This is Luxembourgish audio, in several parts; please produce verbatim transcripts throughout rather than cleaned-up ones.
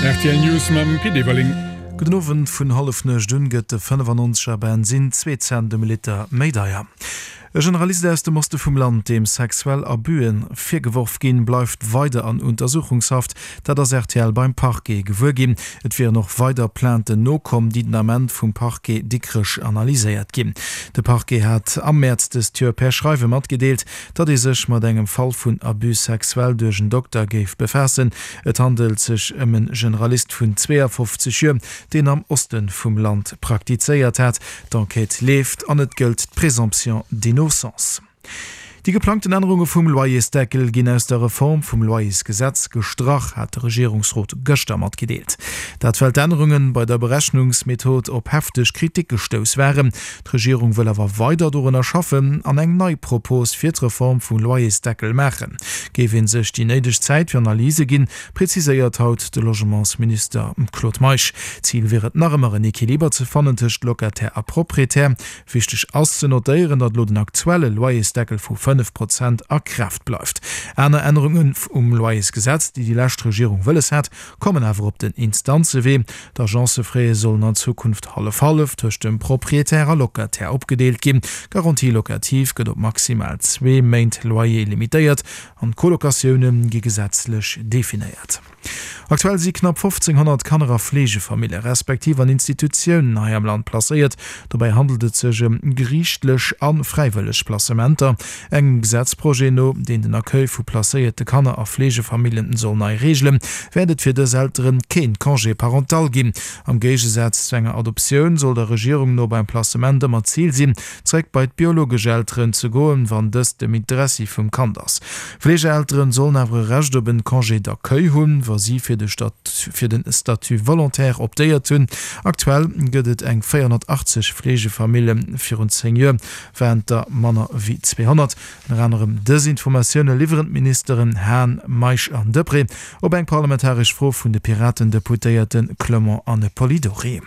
Rtl News mam Pit Everling. Gudden Owend, Vun Hallefnuecht un gëtt de fënnefannonzeger Bensinn zwee Cent dem Liter méi deier. E Generalist aus dem Oste vum Land, deem sexuell Abüen virgeworf ginn, bleift weider an Untersuchungshaft. Dat ass rtl beim Parquet gewuer ginn. Et wieren och weider Plainten nokomm, déi den Ament vum Parquet Dikrech analyséiert ginn. De Parquet hat am Mäerz dëst Joer per Schreiwe matgedeelt, datt ee sech mat engem Fall vun Abus sexuel duerch en Dokter géif befaassen. Et handelt sech ëm e Generalist vun zweeafofzeg Joer, deen am Oste vum Land praktizéiert hat. D'Enquête leeft an et gëllt d'Présomption d'innocence. Déi geplangten Ännerunge vum Loyersdeckel ginn aus der Reform vum Loyersgesetz gestrach, hat de Regierungsrot gëschter matgedeelt. Dat well d'Ännerunge bei der Berechnungsmethod op hefteg Kritik gestouss waren. D'Regierung wëll awer weider dorunner schaffen an eng nei Propos fir d'Reform vum Loyersdeckel maachen. Géif ee sech déi néideg Zäit fir Analyse ginn, preziséiert haut de Logementsminister Claude Meisch. Zil wier et nach ëmmer en Equiliber ze fannen tëscht Locataire a Proprietär. Wichteg ass ze notéieren, datt elo den aktuelle Loyersdeckel vu fënnef Prozent a Kraaft bleift. Aner Ännerungen um Loyersgesetz, déi déi lescht Regierung wëlles hat, kommen awer op den Instanzewee. D'Agencefraie sollen an Zukunft hallef-hallef tëscht dem Proprietär a Locataire opgedeelt ginn. D'Garantie locative gëtt op maximal zwee Méint Loyer limitéiert an d'Colocatioune gi gesetzlech definéiert. Aktuell si knapp fofzénghonnert Kanner a Fleegefamillje respektiv an Institutiounen hei am Land placéiert. Dobäi handelt et sech ëm geriichtlech a fräiwëlleg Placementer. Engem Gesetzprojet no, deen den Accueil vu placéierte Kanner a Fleegefamilljen soll nei reegelen, wäert et fir dës Eltere keen Congé parental ginn. Am Géigesaz zu enger Adoptioun soll der Regierung no beim Placement ëmmer d'Zil sinn, zeréck bei d'biologesch Elteren ze goen, wann dëst dem Interessi vum Kand ass. Fleegeelteren sollen awer e Recht op en Congé d'accueil hunn, wa si fir de fir den Statut volontaire optéiert hunn. Aktuell gëtt et eng véierhonnertachtzeg Fleegefamillen, virun zéng Joer waren et der manner wéi zweehonnert. Ënner anerem dës Informatioune liwweren d'Ministeren Hahn, Meisch an Deprez op eng parlamentaresch Fro vun de Piraten-Deputéierte Clement an Polidori.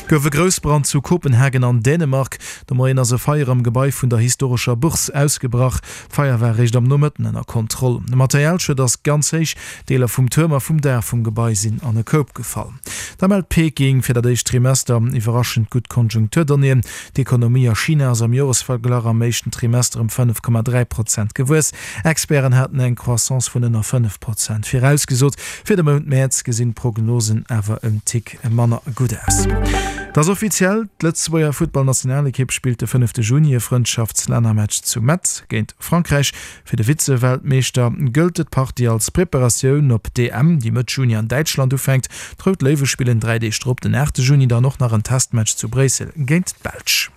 Gouf e Groussbrand zu Kopenhagen an Dänemark. De Moien ass e Feier am Gebai vun der historescher Bourse ausgebrach. D'Feier war eréischt am Nomëtten ënner Kontroll. De Materialschued ass ganz héich, Deeler vum Tuerm a vum Daach vum Gebai sinn an e Koup gefall. Da mellt Peking fir dat éischt Trimester iwwerraschend gutt Konjunkturdonnéeën. D'Ekonomie a China ass am Joresverglach am éischten Trimester ëm fënnef Komma dräi Prozent gewuess. Experten haten eng Croissance vun ënner fënnef Prozent virausgesot. Fir de Mount Mäerz gesinn d'Prognosen awer en Tick manner gutt aus. Et ass offiziell, D'Lëtzebuerger Futtballnationalekipp spillt de fënnefte Juni e Frëndschaftslännermatch zu Metz géint Frankräich. Fir de Vize-Weltmeeschter gëllt d'Partie als Preparatioun op d'E M, déi Mëtt Juni an Däitschland ufänkt. D'Rout Léiwe spillen dräi Deeg drop, den aachte Juni, dann och nach en Testmatch zu Bréissel géint d'Belsch.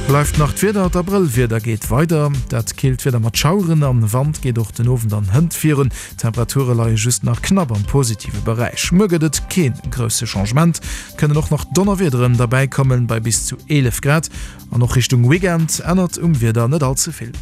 Bleift nach d'Wieder, D'Abrëllwieder geet weider. Dat killt Wieder mat Schaueren an Wand geet och den Owend an hënt virun. D'Temperature leie just nach knapp am positive Beräich. Muer gëtt et kee grousse Changement, et kënnen och nach Donnerwiederen derbäikommen, bei bis zu eelef Grad. An och Richtung Weekend ännert um Wieder net all ze vill.